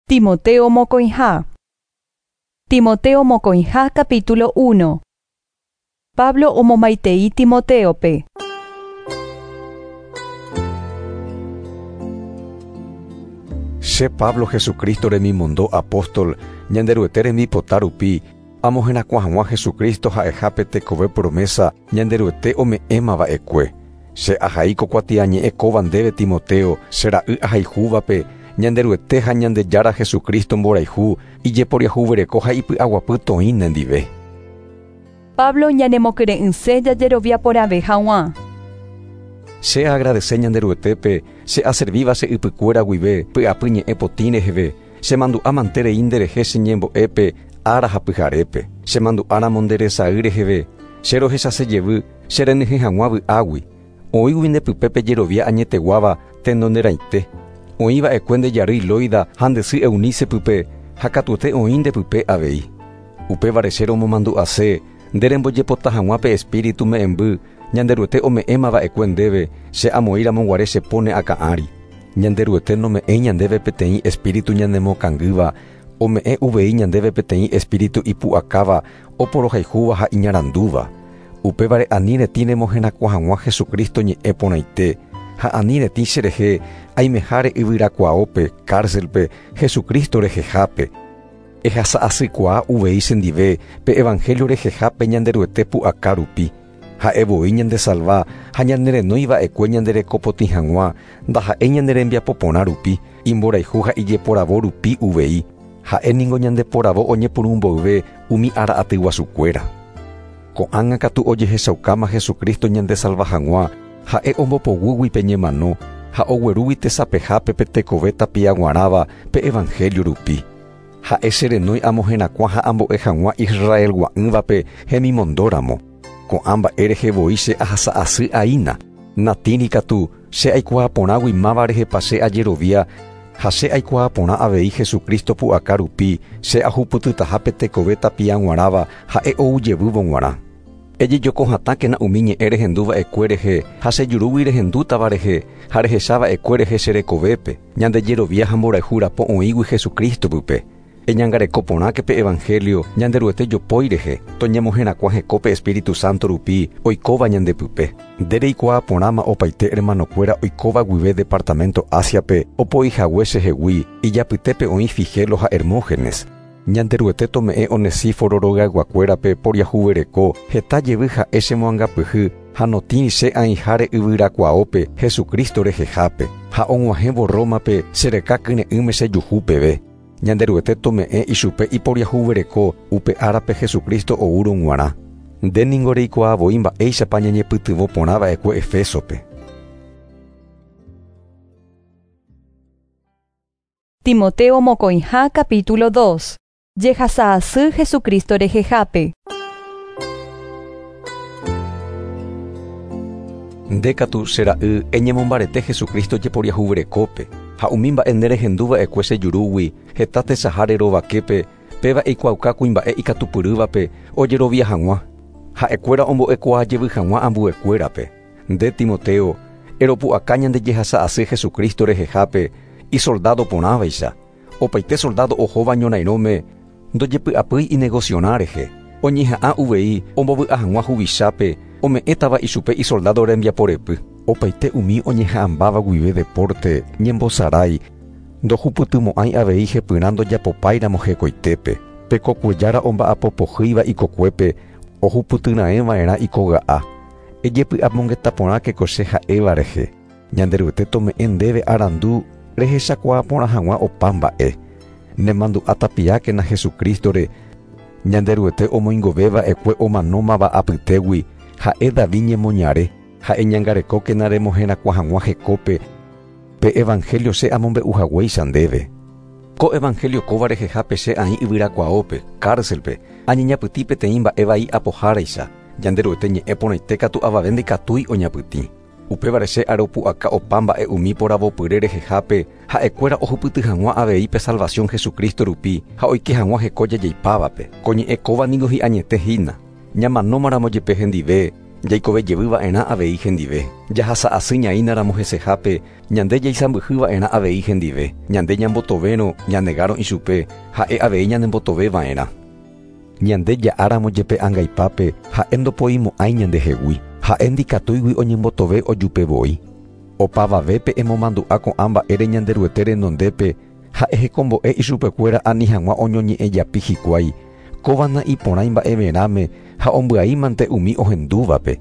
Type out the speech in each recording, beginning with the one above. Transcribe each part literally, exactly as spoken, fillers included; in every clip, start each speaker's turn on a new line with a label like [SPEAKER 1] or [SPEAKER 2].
[SPEAKER 1] Timoteo mokõiha. Timoteo mokõiha capítulo uno. Pablo omomaitei Timoteope.
[SPEAKER 2] Che Pablo Jesucristo remimondo apóstol, Ñanderuete rembipota rupi, amoherakuã hag̃ua Jesucristo ha'ehápe tekove promesa Ñanderuete ome'ẽma va'ekue. Che ahai ko kuatiañe'ẽ kóva ndéve Timoteo, che ra'y ahayhúvape, Ñanderuete ha Ñandejára Jesucristo mborayhu, ijeporiahuvereko ha ipy'aguapy toĩ nendive.
[SPEAKER 1] Pablo ñanemokyre'ỹse jajerovia porãve hag̃ua.
[SPEAKER 2] Che agradece Ñanderuetépe, che aservíva che ypykuéra guive, py'apy ñe'ẽ potĩ reheve, che mandu'a manterei nderehe che ñembo'épe, ára ha pyharépe, che mandu'áramo nde resay reheve, che rohechase jevy, che renyhẽ hag̃ua vy'águi. Oĩgui ndepype pejerovia añeteguáva tenonderãite. Oĩva'ekue nde jarýi Loida ha nde sy Eunice pype, ha katuete oĩ ndepype avei. Upévare che romomandu'ase, nde rembojepota hag̃ua pe espíritu me'ẽmby, Ñanderuete ome'ẽma va'ekue ndéve, che amoĩramo guare che pone akã ári. Ñanderuete nome'ẽi ñandéve peteĩ espíritu ñanemokangýva, ome'ẽ uvei ñandéve peteĩ espíritu ipu'akáva, oporohayhúva ha iñarandúva. Upévare ani retĩ remoherakuã hag̃ua Jesucristo ñe'ẽ porãite, ha ani retĩ cherehe aimeháre yvyrakuaópe, cárcelpe, Jesucristo rehehápe. Ehasa'asykuaa uvei chendive pe evangelio rehehápe Ñanderuete pu'aka rupi. Ha'e voi ñandesalva ha ñanerenói va'ekue ñanderekopotĩ hag̃ua, ndaha'éi ñanerembiapo porã rupi, imborayhu ha ijeporavo rupi uvei. Ha'e ningo ñandeporavo oñepyrũ mboyve umi ára aty guasukuéra. Ko'ág̃a katu ojehechaukáma Jesucristo ñandesalva hag̃ua, ha'e ombopoguýgui pe ñemano ha oguerúgui tesapehápe pe tekove tapiaguarãva pe evangelio rupi. Ha'e cherenói amoherakuã ha ambo'e hag̃ua Israelgua'ỹvape hemimondóramo. Ko'ã mba'e rehe voi che ahasa'asy aína. Natĩri katu che aikuaa porãgui máva rehepa che ajerovia ha che aikuaa porã avei Jesucristo pu'aka rupi che ahupytytaha pe tekove tapiaguarãva ha'e oujevývo g̃uarã. Ejejoko hatãkena umi ñe'ẽ rehenduva'ekue rehe ha che jurúgui rehendútava rehe ha rehechava'ekue rehe che rekovépe, ñandejerovia ha mborayhu rapo oĩgui Jesucristo pype. Eñangareko porãke pe evangelio Ñanderuete jopói rehe, toñemoherakuã hekópe Espíritu Santo rupi oikóva ñandepype. Nde reikuaa porãma opaite hermanokuéra oikóva guive departamento Asiape opoihague chehegui, ijapytépe oĩ Figelo ha Hermógenes. Ñanderuete tome'ẽ Onesíforo rogayguakuérape poriahuvereko, heta jevy ha'e chemoangapyhy ha notĩri che aĩháre yvyrakuaópe Jesucristo rehehápe, ha og̃uahẽvo Rómape chereka kyre'ỹme chejuhu peve. Ñanderuete tome'ẽ ichupe iporiahuvereko upe árape Jesucristo oúrõ g̃uarã. Nde ningo reikuaa voi mba'éichapa ñañepytyvõ porã va'ekue Efesope.
[SPEAKER 1] Timoteo mokõiha capítulo dos. Jehasa'asy Jesucristo rehehápe.
[SPEAKER 2] Nde katu che ra'y eñemombarete Jesucristo jeporiahuverekópe, ha umi mba'e nde rehenduva'ekue che jurúgui, heta tesaháre rovaképe, péva eikuaauka kuimba'e ikatupyrývape ojerovia hag̃ua. Ha'ekuéra ombo'ekuaa jevy hag̃ua ambuekuérape. Nde Timoteo, eropu'aka ñande jehasa'asy Jesucristo rehehápe, isoldado porãvaicha. Opaite soldado ohóva ñorairõme ndojepy'apýi inegocionã rehe. Oñeha'ã uvei ombovy'a hag̃ua huvichápe, ome'ẽtava ichupe isoldado rembiaporepy. Opaite umi oñeha'ãmbáva guive deporte, ñembosarái, ndohupytymo'ãi avei hepyrã ndojapopáiramo hekoitépe. Pe kokuejára omba'apopohýiva ikokuépe, ohupytyraẽva'erã ikoga'a. Ejepy'apongeta porãke ko che ha'éva rehe. Ñanderuete tome'ẽ ndéve arandu rehechakuaa porã hag̃ua opa mba'e. Nemandu'a tapiákena Jesucristore, Ñanderuete omoingovéva'ekue omanómava apytégui, ha'e David ñemoñare, ha'e ñangarekókena remoherakuã hag̃ua hekópe, pe evangelio che amombe'uhaguéicha ndéve. Ko evangelio kóva rehehápe che aĩ yvyrakuaópe, cárcelpe, añeñapytĩ peteĩ mba'e vai apoháraicha, Ñanderuete ñe'ẽ porãite katu avave ndikatúi oñapytĩ. Upévare che aropu'aka opa mba'e umi poravopyre rehehápe, ha'ekuéra ohupyty hag̃ua avei pe salvación Jesucristo rupi ha oike hag̃ua heko jajeipávape. Ko ñe'ẽ kóva ningo hi'añete hína. Ñamanómaramo jepe hendive, Jaikove jevýva'erã avei hendive. Jahasa'asy ñaínaramo hesehápe, ñande jaisãmbyhýva'erã avei hendive. Ñande ñambotovérõ ñanegárõ ichupe, ha'e avei ñanembotovéva'erã. Ñande ja'áramo jepe angaipápe, ha'e ndopoimo'ãi ñandehegui. Ha'e ndikatúigui oñembotove ojupevoi. Opavavépe emomandu'a ko'ã mba'ére Ñanderuete renondépe, ha'e hekombo'e ichupekuéra ani hag̃ua oñoñe'ẽjapi hikuái. Kóva na'iporãi mba'everãme ha ombyaímante umi ohendúvape.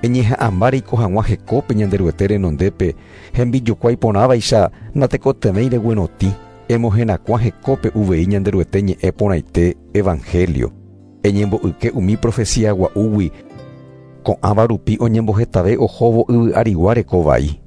[SPEAKER 2] Eñeha'ãmba reiko hag̃ua hekópe Ñanderuete renondépe, hembijokuái porãvaicha natekotevẽi reguerotĩ. Emoherakuã hekópe uvei Ñanderuete ñe'ẽ porãite Evangelio. Eñembo'yke umi profecía gua'úgui, ko'ãva rupi oñembohetave ohóvo yvy arigua rekovai.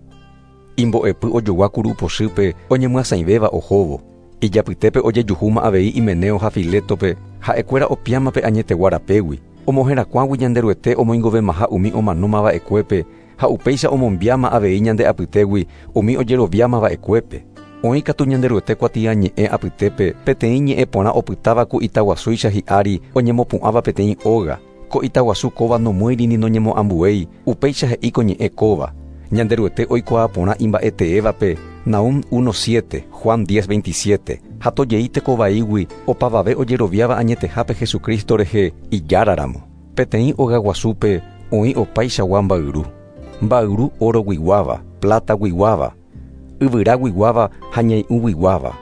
[SPEAKER 2] Imbo'epy ojogua kurupochýpe oñemyasãivéva ohóvo. Ijapytépe ojejuhúma avei Himeneo ha Filetope, ha'ekuéra opiámape añetegua rapégui. Omoherakuãgui Ñanderuete omoingovemaha umi omanómava'ekuépe ha upéicha omombiáma avei ñande apytégui umi ojeroviámava'ekuépe. Oĩ katu Ñanderuete kuatiañe'ẽ apytépe peteĩ ñe'ẽ porã opytáva ku itaguasúicha hi'ári oñemopu'ãva peteĩ óga. Ko itaguasu kóva nomýiri ni noñemoambuéi, upéicha he'i ko ñe'ẽ kóva. Ñanderuete oikuaa porã imba'eteévape, Nahum uno siete, Juan diez veintisiete. Ha tojei tekovaígui opavave ojeroviáva añetehápe Jesucristo rehe ijáraramo. Peteĩ ogaguasúpe oĩ opaichagua mbayru. Mbayru oroguiguáva, plataguiguáva, yvyraguiguáva ha ñai'ũguiguáva.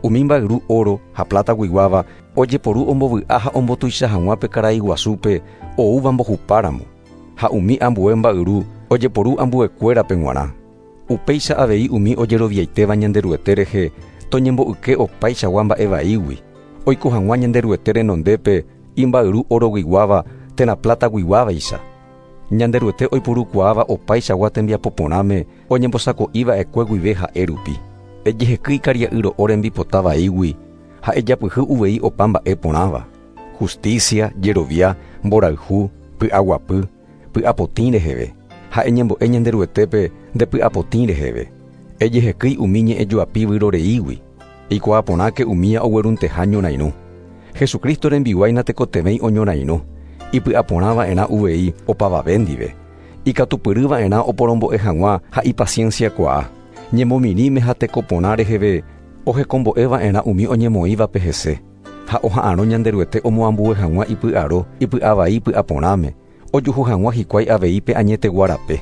[SPEAKER 2] Umi mbayru oro ha plataguiguáva ojeporu ombovy'a ha ombotuicha hag̃ua pe karai guasúpe oúva mbohupáramo. Ha umi ambue mbayru ojeporu ambuekuérape g̃uarã. Upéicha avei umi ojeroviaitéva Ñanderuete rehe toñembo'yke opaichagua mba'evaígui. Oiko hag̃ua Ñanderuete renondépe imbayru oroguiguáva térã plataguiguávaicha. Ñanderuete oiporukuaáva opaichagua tembiapo porãme oñembosako'iva'ekue guive ha'e rupi. Ejehekýi karia'y ro'o rembipota vaígui ha ejapyhy uvei opa mba'e porãva. Justicia, jerovia, mborayhu, py'aguapy, py'apotĩ reheve. Ha eñembo'e Ñanderuetépe ndepy'apotĩ reheve. Ejehekýi umi ñe'ẽjoapi vyroreígui. Eikuaa porãke umía oguerunteha ñorairõ. Jesucristo rembiguái natekotevẽi oñorairõ. Ipy'aporãva'erã uvei opavave ndive. Ikatupyrýva'erã oporombo'e hag̃ua ha ipacienciakuaa. Ñemomirĩme ha tekoporã reheve ohekombo'eva'erã umi oñemoĩvape hese. Ha oha'arõ Ñanderuete omoambue hag̃ua ipy'aro, ipy'avai py'aporãme, ojuhu hag̃ua hikuái avei pe añetegua rape.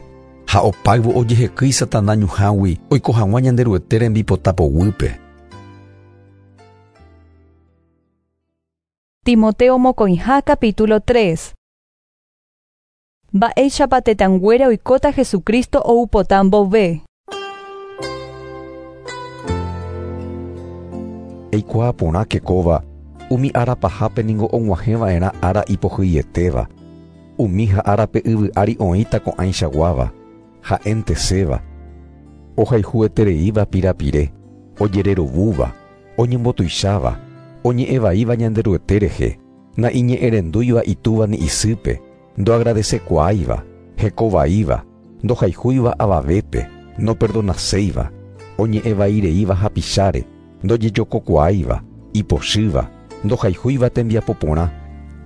[SPEAKER 3] Ha opáyvo ojehekýi Satana ñuhãgui oiko hag̃ua Ñanderuete rembipota poguýpe.
[SPEAKER 1] Timoteo mokõiha capítulo tres. Mba'éichapa tetãnguéra oikóta Jesucristo oupota mbove.
[SPEAKER 2] Eikuaa porãke kóva, umi ára pahápe ningo og̃uahẽva'erã ára ipohýietéva. Umi ha árape yvy ári oĩta ko'ãichaguáva, ha'enteséva, ohayhuetereíva pirapire, ojererovúva, oñembotuicháva, oñe'ẽvaíva Ñanderuete rehe, na'iñe'ẽrendúiva itúva ni isýpe, ndoagradecekuaáiva, hekovaíva, ndohayhúiva avavépe, noperdonaséiva, oñe'ẽvaireíva hapicháre, ndojejokokuaáiva, ipochýva, ndohayhúiva tembiapo porã,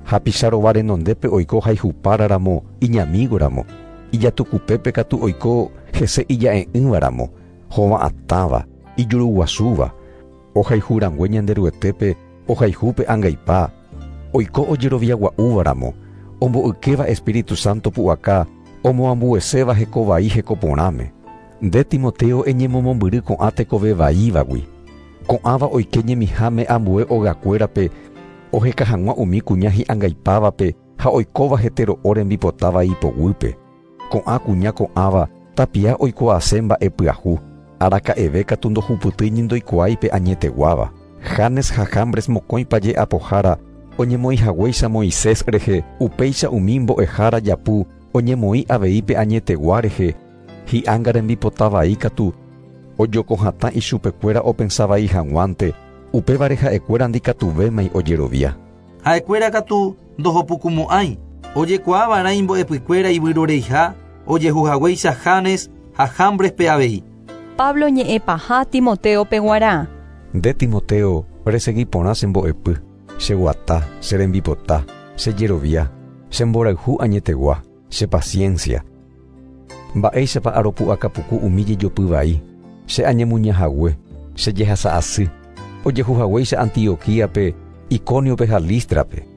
[SPEAKER 2] hapicharova renondépe oiko hayhupáraramo iñamígoramo, ijatukupépe katu oiko hese ija'e'ỹvaramo, hova'atãva, ijuruguasúva, ohayhurangue Ñanderuetépe ohayhúpe angaipa, oiko ojeroviagua'úvaramo, ombo'ykéva Espíritu Santo pu'aka, omoambueséva hekovai hekoporãme. Nde Timoteo eñemomombyry ko'ã tekove vaívagui. Ko'ãva oike ñemiháme ambue ogakuérape, oheka hag̃ua umi kuña hi'angaipávape ha oikóva hetero'o rembipotáva ipoguýpe. Ko'ã kuña ko'ãva tapia oikuaase mba'e pyahu, araka'eve katu ndohupytýi ndoikuaáipe añeteguáva. Janes ha Jambres mokõi paje apohára oñemoĩ haguéicha Moisés rehe, upéicha umi mbo'ehára japu oñemoĩ avei pe añetegua rehe, hi'ánga rembipota vai katu ojokohatã ichupekuéra opensavai hag̃uánte, upévare ha'ekuéra ndikatuvémai ojerovia.
[SPEAKER 4] Ha'ekuéra katu ndohopukumo'ãi, ojekuaava'erã imbo'epykuéra ivyroreiha, ojehuhaguéicha Janes ha Jambrespe avei.
[SPEAKER 1] Pablo ñe'ẽpaha Timoteope g̃uarã.
[SPEAKER 2] Nde Timoteo, resegui porã che mbo'epy, che guata, che rembipota, che jerovia, che mborayhu añetegua, Che paciencia. Mba'éichapa aropu'akapuku umi jejopy vai. Che añemuñahague, che jehasa'asy. Ojehuhaguéicha Antioquíape, Iconiope ha Lístrape.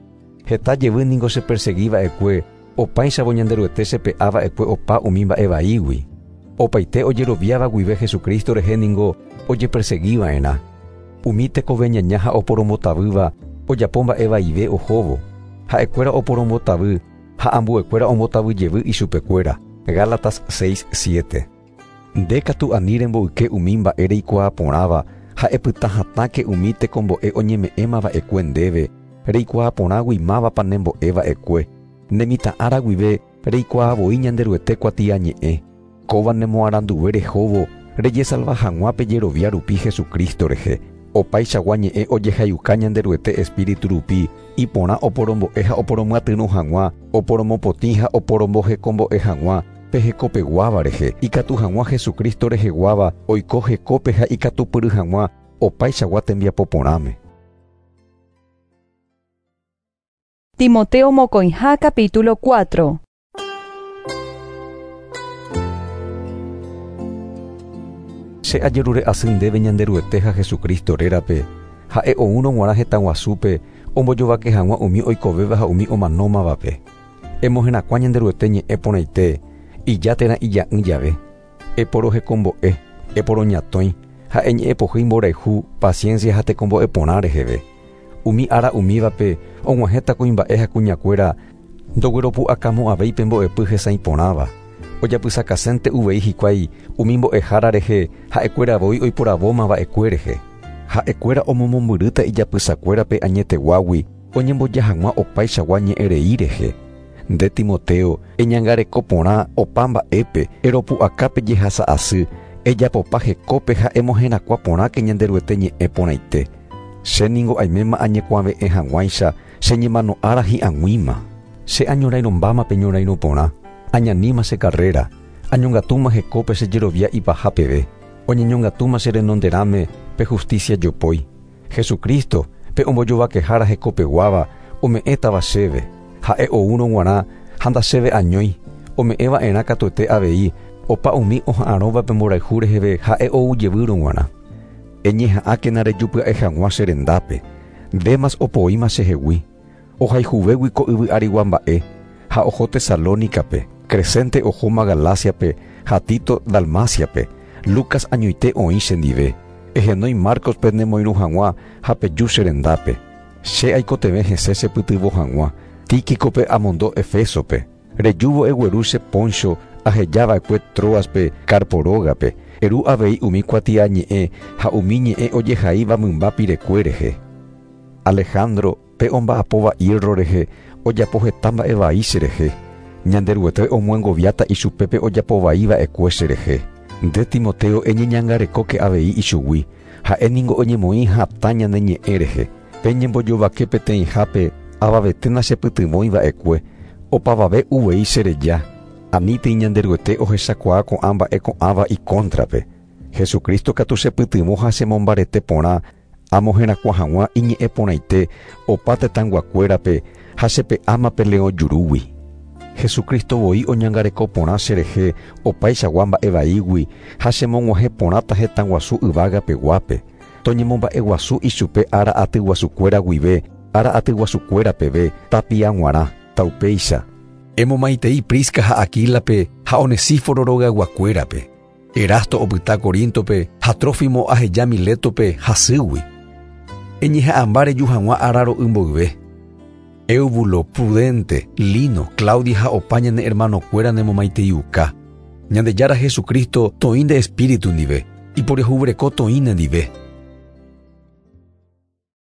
[SPEAKER 2] Heta jevy ningo cheperseguiva'ekue, opáichavo Ñanderuete chepe'ava'ekue opa umi mba'e vaígui. Opaite ojeroviáva guive Jesucristo rehe ningo ojeperseguiva'erã. Umi tekove ñaña ha oporombotavýva ojapo mba'e vaive ohóvo. Ha'ekuéra oporombotavy ha ambuekuéra ombotavy jevy ichupekuéra. Gálatas seis siete. Nde katu ani remboyke umi mba'e reikuaa porãva ha epyta hatãke umi tekombo'e oñeme'ẽmava'ekue ndéve, reikuaa porãgui mávapa nembo'eva'ekue. Nemitã'ára guive reikuaavoi Ñanderuete kuatiañe'ẽ. Kóva nemoaranduve rehóvo rejesalva hag̃ua pejerovia rupi Jesucristo rehe. Opaichagua ñe'ẽ ojehayuka Ñanderuete Espíritu rupi, iporã oporombo'e ha oporomyatyrõ hag̃ua, oporomopotĩ ha oporombohekombo'e hag̃ua pe hekopeguáva rehe, ikatu hag̃ua Jesucristo reheguáva oiko hekópe ha ikatupyry hag̃ua opaichagua tembiapo porãme.
[SPEAKER 1] Timoteo mokõiha capítulo cuatro.
[SPEAKER 2] Che ajerure asy ndéve Ñanderuete ha Jesucristo rérape, ha'e oúrõ g̃uarã hetã guasúpe ombojovake hag̃ua umi oikovéva ha umi omanómavape. Emoherakuã Ñanderuete ñe'ẽ porãite, ija térã ija'ỹ jave. Eporohekombo'e, eporoñatõi, ha eñe'ẽpohýi mborayhu, paciencia ha tekombo'e porã reheve. Umi ára umívape og̃uahẽta kuimba'e ha kuñakuéra ndogueropu'akamo'ãvéi pe mbo'epy hesãi porãva. Ojapysakasente uvei hikuái umi mbo'ehára rehe ha'ekuéra voi oiporavómava'ekue rehe. Ha'ekuéra omomombyrýta ijapysakuérape añeteguágui oñemboja hag̃ua opaichagua ñe'ẽrei rehe. Nde Timoteo, eñangareko porã opa mba'épe, eropu'akápe jehasa'asy, ejapopa hekópe ha emoherakuã porãke Ñanderuete ñe'ẽ porãite. Che ningo aiméma añekuave'ẽ hag̃uáicha che ñemano'ára hi'ag̃uíma. Che añorairõmbáma pe ñorairõ porã, añaníma che carrera, añongatúma hekópe che jerovia ipaha peve, oñeñongatúma che renonderãme pe justicia jopói. Jesucristo, pe ombojovakehára hekopeguáva, ome'ẽtava chéve, ha'e oúrõ g̃uarã ha ndachéve añói, ome'ẽva'erã katuete avei, opa umi oha'arõva pe mborayhu reheve ha'e ou jevýrõ g̃uarã. Eñeha'ãkena rejupya'e hag̃ua che rendápe, Demas opoíma chehegui, ohayhuvégui ko yvy arigua mba'e, ha oho Tesalónicape, Crescente ohóma Galáciape ha Tito Dalmáciape, Lucas añoite oĩ chendive, ehenói Marcospe nemoirũ hag̃ua ha peju che rendápe. Che aikotevẽ hese chepytyvõ hag̃ua, Tíquicope amondo Efesope, rejúvo egueru che poncho ahejava'ekue Troaspe Carpo rógape, eru avei umi kuatiañe'ẽ ha umi ñe'ẽ ojehaíva mymba pirekue rehe. Alejandro pe omba'apóva hierro rehe ojapo heta mba'e vai che rehe. Ñanderuete omyengoviáta ichupe ojapovaiva'ekue che rehe. Nde Timoteo eñeñangarekóke avei ichugui, ha'e ningo oñemoĩ hatã ñane ñe'ẽ rehe. Pe ñembojovake peteĩhápe avavete nachepytyvõiva'ekue, opavave uvei chereja. Anítei Ñanderuete ohechakuaa ko'ã mba'e ko'ãva ikóntrape. Jesucristo katu chepytyvõ ha chemombarete porã amoherakuã hag̃ua iñe'ẽ porãite opa tetãyguakuérape ha chepe'áma pe leõ jurúgui. Jesucristo voi oñangareko porã cherehe opaichagua mba'e vaígui ha chemog̃uahẽ porãta hetã guasu yvágapeguápe. Toñemomba'eguasu ichupe ára atyguasukuéra guive, ára atyguasukuéra peve, tapia g̃uarã, taupéicha.
[SPEAKER 3] Emomaitei Prisca ha Aquílape ha Onesíforo rogayguakuérape. Erasto opyta Corintope ha Trófimo aheja Miletope hasýgui. Eñeha'ãmba reju hag̃ua ára ro'y mboyve. Eubulo, Prudente, Lino, Claudia ha opa ñane hermanokuéra nemomaiteiuka. Ñandejára Jesucristo toĩ nde espíritu ndive, iporiahuvereko toĩ nendive.